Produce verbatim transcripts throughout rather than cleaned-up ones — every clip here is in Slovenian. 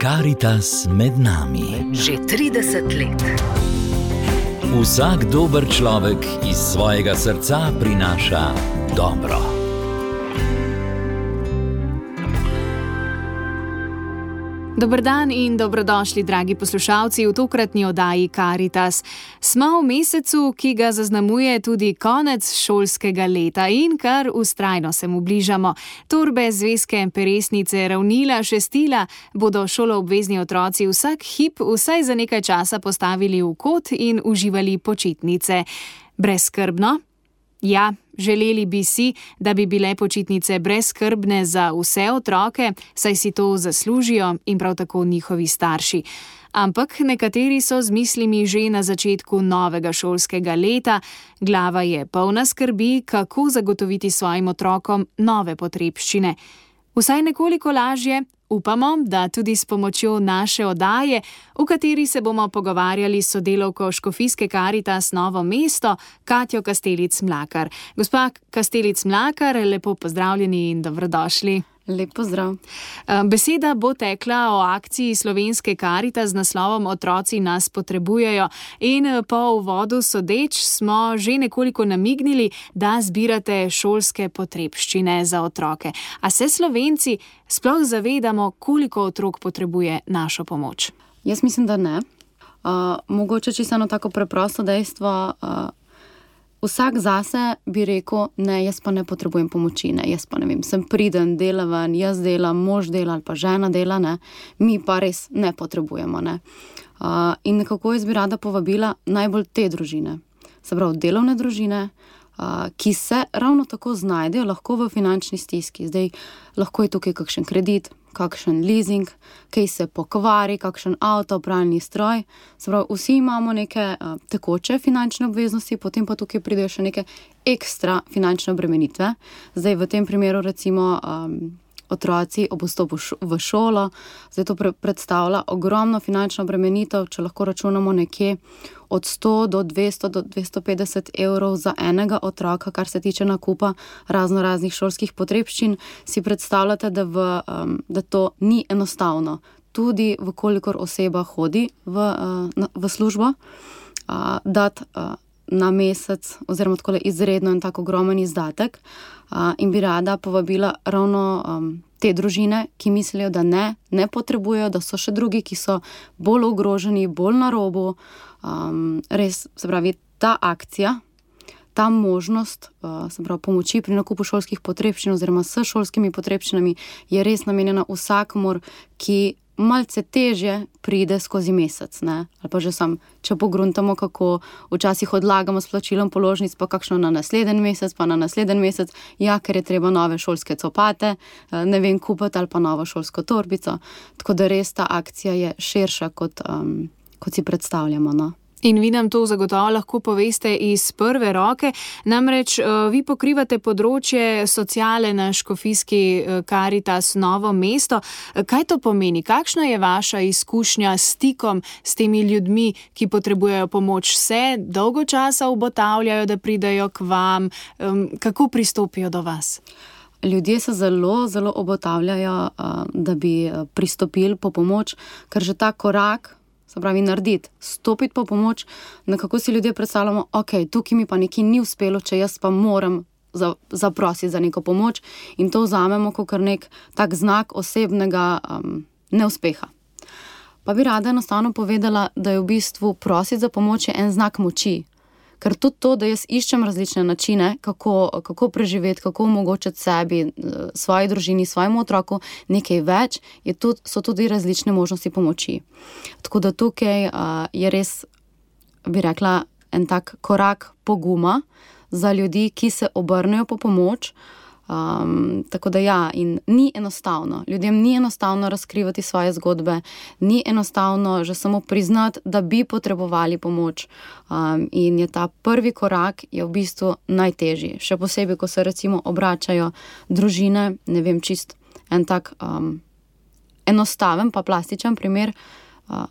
Karitas med nami. Že trideset let. Vsak dober človek iz svojega srca prinaša dobro. Dober dan in dobrodošli, dragi poslušalci, v tokratni oddaji Karitas. Smo v mesecu, ki ga zaznamuje tudi konec šolskega leta in kar vztrajno se mu bližamo. Torbe, zvezke, peresnice, ravnila, šestila bodo šoloobvezni otroci vsak hip vsaj za nekaj časa postavili v kot in uživali počitnice. Brezskrbno? Ja, želeli bi si, da bi bile počitnice brezskrbne za vse otroke, saj si to zaslužijo in prav tako njihovi starši. Ampak nekateri so z mislimi že na začetku novega šolskega leta, glava je polna skrbi, kako zagotoviti svojim otrokom nove potrebščine. Vsaj nekoliko lažje, upamo, da tudi s pomočjo naše oddaje, v kateri se bomo pogovarjali s sodelavko Škofijske Karitas Novo mesto, Katjo Kastelic Mlakar. Gospa Kastelic Mlakar, lepo pozdravljeni in dobrodošli. Lep pozdrav. Beseda bo tekla o akciji Slovenske Karitas z naslovom Otroci nas potrebujejo in po uvodu sodeč smo že nekoliko namignili, da zbirate šolske potrebščine za otroke. A se Slovenci sploh zavedamo, koliko otrok potrebuje našo pomoč? Jaz mislim, da ne. Uh, mogoče čisto eno tako preprosto dejstvo. Uh, Vsak zase bi rekel, ne, jaz pa ne potrebujem pomoči, ne, jaz pa ne vem, sem priden, delaven, jaz delam, mož dela ali pa žena dela, ne, mi pa res ne potrebujemo, ne. Uh, in nekako jaz bi rada povabila najbolj te družine, se pravi delovne družine, uh, ki se ravno tako znajdejo lahko v finančni stiski. Zdaj lahko je tukaj kakšen kredit, kakšen leasing, kaj se pokvari, kakšen avto, pralni stroj. Se pravi, vsi imamo neke uh, tekoče finančne obveznosti, potem pa tukaj pridejo še neke ekstra finančne obremenitve. Zdaj v tem primeru recimo um, otroci ob vstopu v šolo, zdaj to pre- predstavlja ogromno finančno obremenitev, če lahko računamo nekje od sto do dvesto do dvesto petdeset evrov za enega otroka, kar se tiče nakupa razno raznih šolskih potrebščin, si predstavljate, da, v, um, da to ni enostavno. Tudi vkolikor oseba hodi v, uh, v službo, uh, dati uh, na mesec oziroma tako izredno en tak ogromen izdatek, uh, in bi rada povabila ravno um, te družine, ki mislijo, da ne, ne potrebujejo, da so še drugi, ki so bolj ogroženi, bolj na robu. Um, res, se pravi, ta akcija, ta možnost, uh, se pravi, pomoči pri nakupu šolskih potrebščin oziroma s šolskimi potrebščinami je res namenjena vsakomur, ki malce težje pride skozi mesec, ne? Ali pa že sam, če pogruntamo, kako včasih odlagamo s plačilom položnic, pa kakšno na naslednji mesec, pa na naslednji mesec, ja, ker je treba nove šolske copate, ne vem, kupiti ali pa novo šolsko torbico. Tako da res ta akcija je širša, kot, um, kot si predstavljamo, no. In vi nam to zagotovo lahko poveste iz prve roke, namreč vi pokrivate področje sociale na Škofijski Karitas Novo mesto. Kaj to pomeni? Kakšna je vaša izkušnja s stikom s temi ljudmi, ki potrebujejo pomoč? Se dolgo časa ugotavljajo, da pridejo k vam? Kako pristopijo do vas? Ljudje se zelo, zelo obotavljajo, da bi pristopili po pomoč, ker že ta korak, se pravi narediti, stopiti po pomoč, nekako si ljudje predstavljamo, ok, tukaj mi pa nekaj ni uspelo, če jaz pa moram za, zaprositi za neko pomoč, in to vzamemo kot nek tak znak osebnega um, neuspeha. Pa bi rada enostavno povedala, da je v bistvu prositi za pomoč je en znak moči. Ker tudi to, da jaz iščem različne načine, kako, kako preživeti, kako omogočiti sebi, svoji družini, svojemu otroku nekaj več, je tudi, so tudi različne možnosti pomoči. Tako da tukaj uh, je res, bi rekla, en tak korak poguma za ljudi, ki se obrnejo po pomoč. Um, tako da ja, in ni enostavno. Ljudem ni enostavno razkrivati svoje zgodbe, ni enostavno že samo priznati, da bi potrebovali pomoč. Um, in je ta prvi korak je v bistvu najtežji. Še posebej, ko se recimo obračajo družine, ne vem, čist en tak um, enostaven pa plastičen primer. Uh,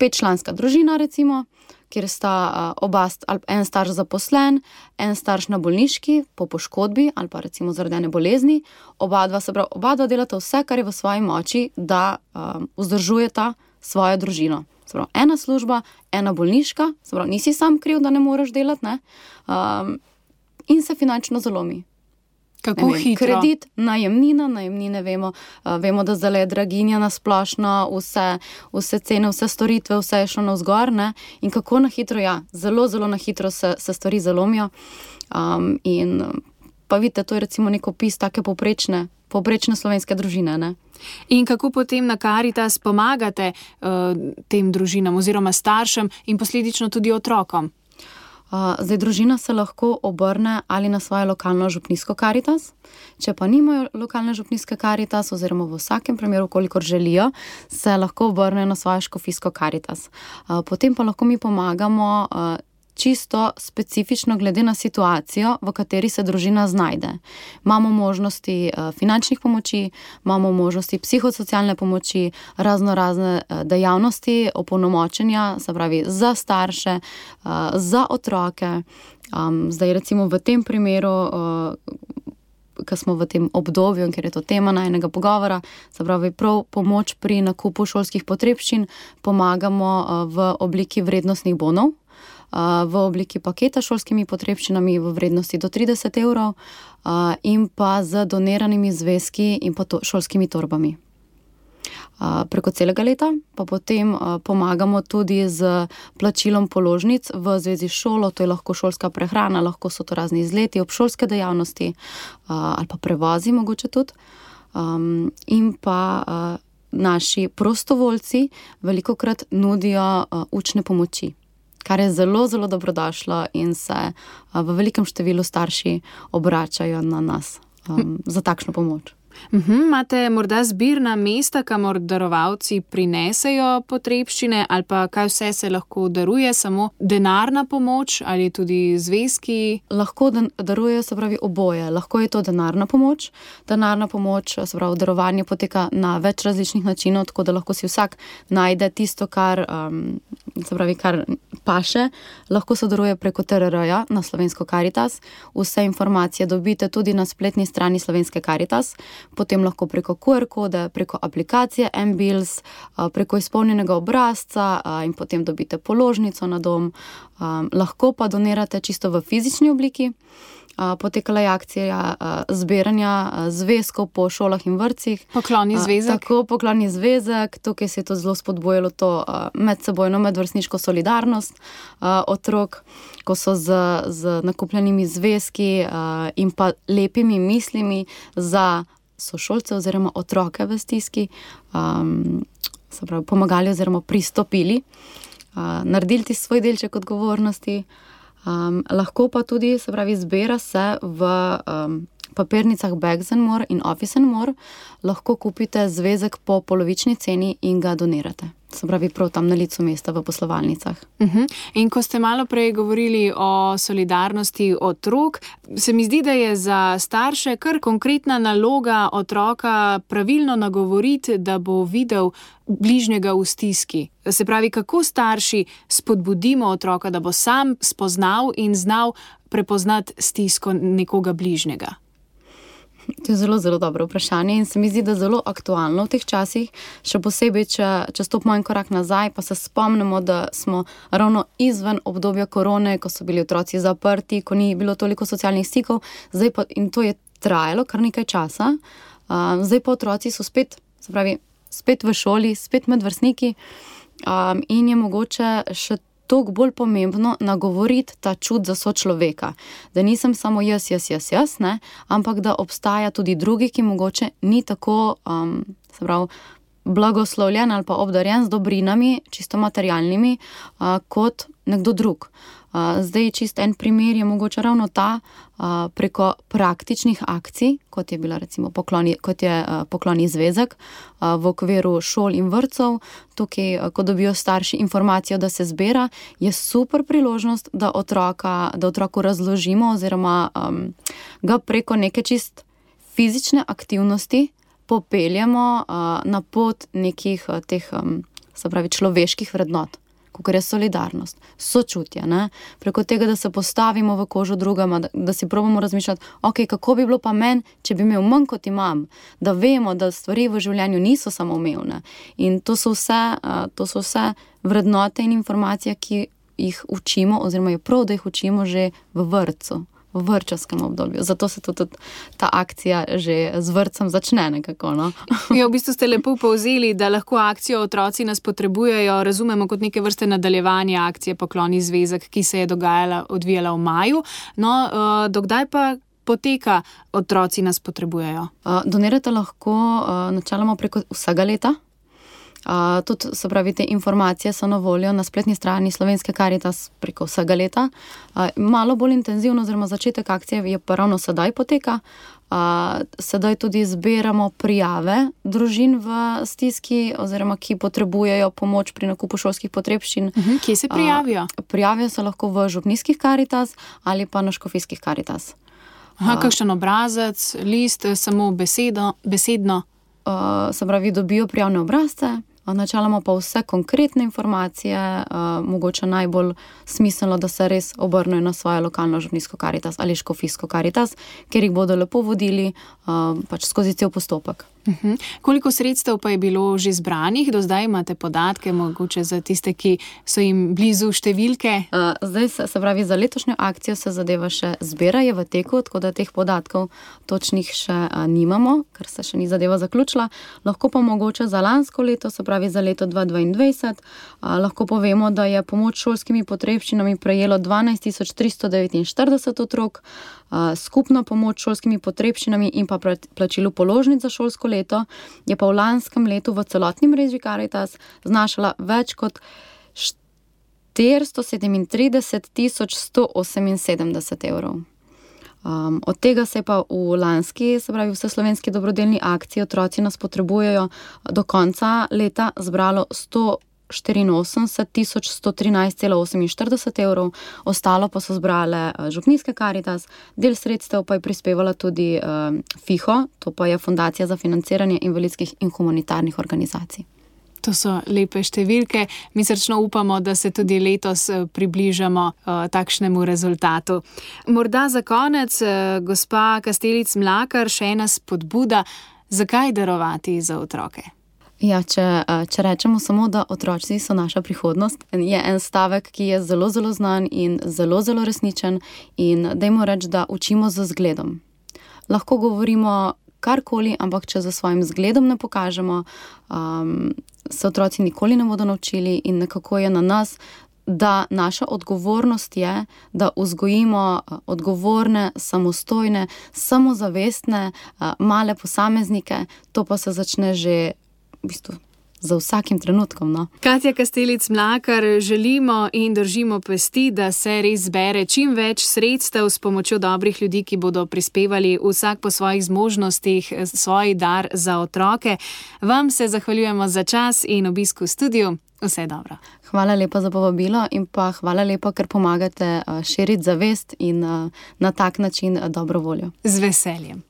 petčlanska družina, recimo, kjer sta oba, en starš zaposlen, en starš na bolniški po poškodbi ali pa recimo zaradi ene bolezni, oba dva, se pravi, oba dva delata vse, kar je v svoji moči, da um, vzdržujeta svojo družino. Se pravi, ena služba, ena bolniška, se pravi, nisi sam kriv, da ne moreš delati, ne? Um, in se finančno zalomi. Kako vem, hitro? Kredit, najemnina, najemnine vemo, uh, vemo, da zdaj je draginja na splošno, vse, vse cene, vse storitve, vse je šlo navzgor, ne? In kako na hitro, ja, zelo, zelo na hitro se, se stvari zalomijo. Um, in pa vidite, to je recimo nek opis take povprečne, povprečne slovenske družine, ne? In kako potem na Karitas pomagate uh, tem družinam oziroma staršem in posledično tudi otrokom? Uh, zdaj, družina se lahko obrne ali na svojo lokalno župnijsko Karitas, če pa nimajo lokalne župnijske Karitas, oziroma v vsakem primeru, kolikor želijo, se lahko obrnejo na svojo škofijsko Karitas. Uh, potem pa lahko mi pomagamo uh, čisto specifično glede na situacijo, v kateri se družina znajde. Imamo možnosti uh, finančnih pomoči, imamo možnosti psihosocialne pomoči, razno razne uh, dejavnosti, opolnomočenja, se pravi za starše, uh, za otroke. Um, zdaj recimo v tem primeru, uh, ko smo v tem obdobju, ker je to tema najnega pogovora, se pravi prav pomoč pri nakupu šolskih potrebščin, pomagamo uh, v obliki vrednostnih bonov, v obliki paketa šolskimi potrebščinami v vrednosti do trideset evrov in pa z doniranimi zvezki in pa to, šolskimi torbami. Preko celega leta pa potem pomagamo tudi z plačilom položnic v zvezi s šolo, to je lahko šolska prehrana, lahko so to razni izleti, obšolske dejavnosti ali pa prevozi mogoče tudi. In pa naši prostovoljci velikokrat nudijo učne pomoči, kar je zelo, zelo dobrodošlo in se v velikem številu starši obračajo na nas um, za takšno pomoč. Uhum, imate morda zbirna mesta, kamor darovalci prinesejo potrebščine ali pa kaj vse se lahko daruje, samo denarna pomoč ali tudi zvezki? Lahko darujejo, se pravi, oboje. Lahko je to denarna pomoč. Denarna pomoč, se pravi, darovanje poteka na več različnih načinov, tako da lahko si vsak najde tisto, kar, um, se pravi, kar paše. Lahko se daruje preko T R R-ja na Slovensko Karitas. Vse informacije dobite tudi na spletni strani Slovenske Karitas. Potem lahko preko Q R kode, preko aplikacije M-Bills, preko izpolnjenega obrazca in potem dobite položnico na dom. Lahko pa donirate čisto v fizični obliki. Potekala je akcija zbiranja zvezkov po šolah in vrtcih. Pokloni zvezek. Tako, pokloni zvezek. Tukaj se je to zelo spodbojalo to medsebojno medvrstniško solidarnost otrok, ko so z, z nakupljenimi zvezki in pa lepimi mislimi za sošolce oziroma otroke v stiski, um, se pravi, pomagali oziroma pristopili, uh, naredili ti svoj delček odgovornosti. Um, lahko pa tudi, se pravi, zbira se v um, papirnicah Bags and More in Office and More, lahko kupite zvezek po polovični ceni in ga donirate. Se pravi, prav tam na licu mesta v poslovalnicah. Uh-huh. In ko ste malo prej govorili o solidarnosti otrok, se mi zdi, da je za starše kar konkretna naloga otroka pravilno nagovoriti, da bo videl bližnjega v stiski. Se pravi, kako starši spodbudimo otroka, da bo sam spoznal in znal prepoznati stisko nekoga bližnjega? To je zelo, zelo dobro vprašanje in se mi zdi, da zelo aktualno v teh časih, še posebej, če, če stopimo en korak nazaj, pa se spomnimo, da smo ravno izven obdobja korone, ko so bili otroci zaprti, ko ni bilo toliko socialnih stikov, zdaj pa, in to je trajalo kar nekaj časa, uh, zdaj pa otroci so spet, se pravi, spet v šoli, spet med vrstniki um, in je mogoče še toliko bolj pomembno nagovoriti ta čut za sočloveka, da nisem samo jaz, jaz, jaz, jaz, ne, ampak da obstaja tudi drugi, ki mogoče ni tako, um, se pravi, blagoslovljen ali pa obdarjen z dobrinami, čisto materialnimi, uh, kot nekdo drug. Uh, zdaj čist en primer je mogoče ravno ta, uh, preko praktičnih akcij, kot je bila recimo pokloni, kot je uh, pokloni zvezek uh, v okviru šol in vrtcev. Tukaj, uh, ko dobijo starši informacijo, da se zbira, je super priložnost, da otroka, da otroku razložimo oziroma um, ga preko neke čist fizične aktivnosti popeljemo uh, na pot nekih uh, teh um, se pravi človeških vrednot, kakor je solidarnost, sočutje, ne? Preko tega, da se postavimo v kožo drugama, da, da si probamo razmišljati, ok, kako bi bilo pa meni, če bi imel manj kot imam, da vemo, da stvari v življenju niso samoumevne. In to so vse, to so vse vrednote in informacije, ki jih učimo, oziroma je prav, da jih učimo že v vrtcu, v vrtčevskem obdobju. Zato se tudi ta akcija že z vrtcem začne nekako, no. Ja, v bistvu ste lepo povzeli, da lahko akcijo Otroci nas potrebujejo razumemo kot neke vrste nadaljevanje akcije Pokloni zvezek, ki se je dogajala, odvijala v maju. No, dokdaj pa poteka Otroci nas potrebujejo? Donirate lahko načeloma preko vsega leta. Uh, tudi, se pravi, te informacije so na voljo na spletni strani Slovenske Karitas preko vsega leta. Uh, malo bolj intenzivno, oziroma začetek akcije je pa ravno sedaj poteka. Uh, sedaj tudi zbiramo prijave družin v stiski, oziroma ki potrebujejo pomoč pri nakupu šolskih potrebščin. Uh-huh. Kje se prijavijo? Uh, prijavijo se lahko v župnijskih Karitas ali pa na škofijskih Karitas. Aha, kakšen obrazec, list, samo besedo, besedno? Uh, se pravi, dobijo prijavne obrazce, načeloma pa vse konkretne informacije, uh, mogoče najbolj smiselno, da se res obrnejo na svojo lokalno župnijsko Karitas ali škofijsko Karitas, kjer jih bodo lepo vodili uh, pač skozi cel postopek. Uh-huh. Koliko sredstev pa je bilo že zbranih? Do zdaj imate podatke, mogoče za tiste, ki so jim blizu številke? Uh, zdaj se, se pravi, za letošnjo akcijo se zadeva še zbira, je v teku, tako da teh podatkov točnih še uh, nimamo, ker se še ni zadeva zaključila. Lahko pa mogoče za lansko leto, se pravi za leto dva tisoč dvaindvajset, uh, lahko povemo, da je pomoč šolskimi potrebščinami prejelo dvanajst tisoč tristo devetinštirideset otrok, uh, skupna pomoč šolskimi potrebščinami in pa plačilu položnic za šolsko leto je pa v lanskem letu v celotni mreži Karitas znašala več kot štiristo sedemintrideset tisoč sto oseminsedemdeset evrov. Um, od tega se je pa v lanski, se pravi vseslovenski dobrodelni akciji Otroci nas potrebujejo do konca leta zbralo sto štiriinosemdeset tisoč sto trinajst cela oseminštirideset evrov, ostalo pa so zbrale župnijske Karitas, del sredstev pa je prispevala tudi uh, FIHO, to pa je Fundacija za financiranje invalidskih in humanitarnih organizacij. To so lepe številke. Mi srčno upamo, da se tudi letos približamo uh, takšnemu rezultatu. Morda za konec, uh, gospa Kastelic Mlakar, še ena spodbuda, zakaj darovati za otroke? Ja, če, če rečemo samo, da otroci so naša prihodnost, je en stavek, ki je zelo, zelo znan in zelo, zelo resničen in dajmo reči, da učimo z zgledom. Lahko govorimo karkoli, ampak če za svojim zgledom ne pokažemo, um, se otroci nikoli ne bodo naučili in nekako je na nas, da naša odgovornost je, da vzgojimo odgovorne, samostojne, samozavestne, male posameznike, to pa se začne že v bistvu za vsakim trenutkom, no. Katja Kastelic Mlakar, želimo in držimo pesti, da se res zbere čim več sredstev s pomočjo dobrih ljudi, ki bodo prispevali vsak po svojih zmožnostih svoj dar za otroke. Vam se zahvaljujemo za čas in obisk v studiu. Vse dobro. Hvala lepa za povabilo in pa hvala lepa, ker pomagate širiti zavest in na tak način dobro voljo. Z veseljem.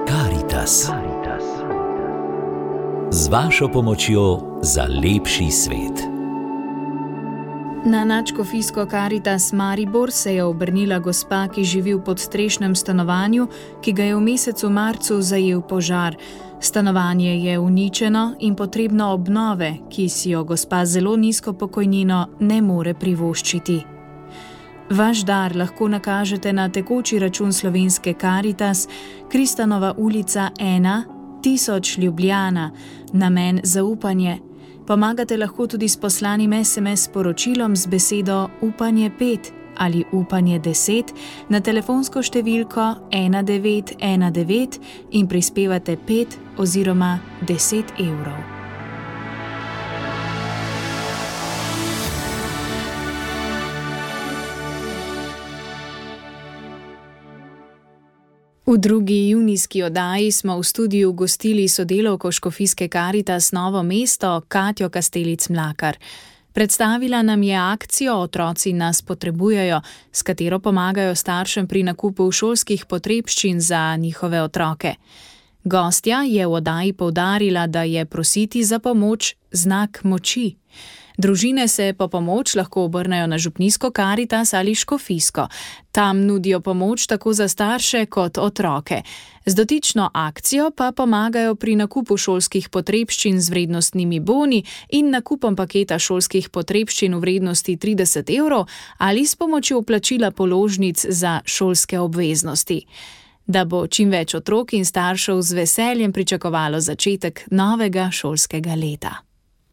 Karitas. Z vašo pomočjo za lepši svet. Na nadškofijsko Karitas Maribor se je obrnila gospa, ki živi v podstrešnem stanovanju, ki ga je v mesecu marcu zajel požar. Stanovanje je uničeno in potrebno obnove, ki si jo gospa z zelo nizko pokojnino ne more privoščiti. Vaš dar lahko nakažete na tekoči račun Slovenske Karitas, Kristanova ulica ena, tisoč Ljubljana, namen zaupanje. Pomagate lahko tudi s poslanim es em es sporočilom z besedo upanje pet ali upanje deset na telefonsko številko ena devet ena devet in prispevate pet oziroma deset evrov. V drugi junijski oddaji smo v studiu gostili sodelavko škofijske Karitas Novo mesto Katjo Kastelic Mlakar. Predstavila nam je akcijo Otroci nas potrebujejo, s katero pomagajo staršem pri nakupu šolskih potrebščin za njihove otroke. Gostja je v oddaji poudarila, da je prositi za pomoč znak moči. Družine se po pomoč lahko obrnejo na župnijsko Karitas ali škofijsko. Tam nudijo pomoč tako za starše kot otroke. Z dotično akcijo pa pomagajo pri nakupu šolskih potrebščin z vrednostnimi boni in nakupom paketa šolskih potrebščin v vrednosti trideset evrov ali s pomočjo plačila položnic za šolske obveznosti. Da bo čim več otrok in staršev z veseljem pričakovalo začetek novega šolskega leta.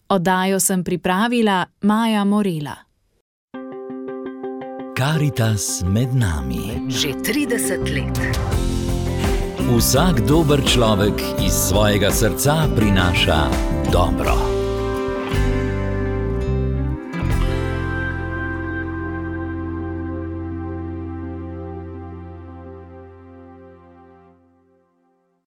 Oddajo sem pripravila Maja Morela. Karitas med nami. Že trideset let. Vsak dober človek iz svojega srca prinaša dobro.